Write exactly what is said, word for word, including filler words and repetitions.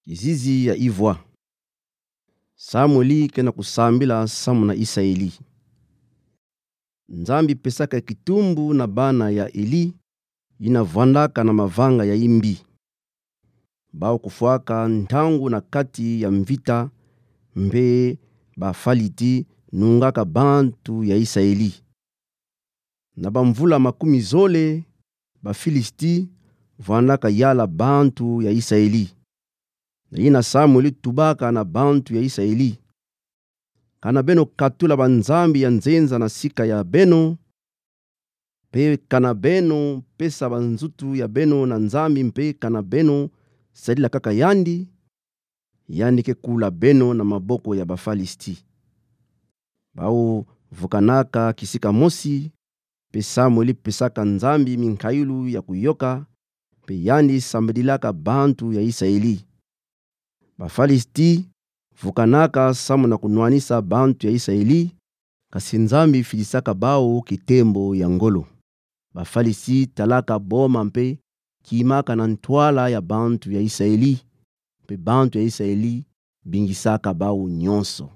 Kizizi ya ivwa. Samueli ke na kusambila samu na Isaeli. Nzambi pesaka kitumbu na bana ya Eli, ina vwandaka na mavanga ya imbi. Bau kufwaka ntangu na kati ya mvita, mpe Bafaliti nungaka bantu ya Isaeli. Na bamvula makumi zole, Bafilisti vwandaka yala bantu ya Isaeli. Na ina Samueli tubaka na bantu ya Isaeli: Kana beno katula banzambi ya nzenza na sika ya beno, mpe kana beno pesa banzutu ya beno na Nzambi, mpe kana beno sadila kaka yandi, yandi ke kula beno na maboko ya Bafalisti. Bau vukanaka kisika mosi, mpe Samueli pesaka Nzambi minkayulu ya kuyoka, mpe yandi sambidilaka bantu ya Isaeli. Bafalisti vukanaka samu na kunwanisa bantu ya Isaeli, kasi Nzambi fidisaka bau kitembo ya ngolo. Bafalisti talaka boma mpe kimaka na ntwala ya bantu ya Isaeli, mpe bantu ya Isaeli bingisaka bau nyonso.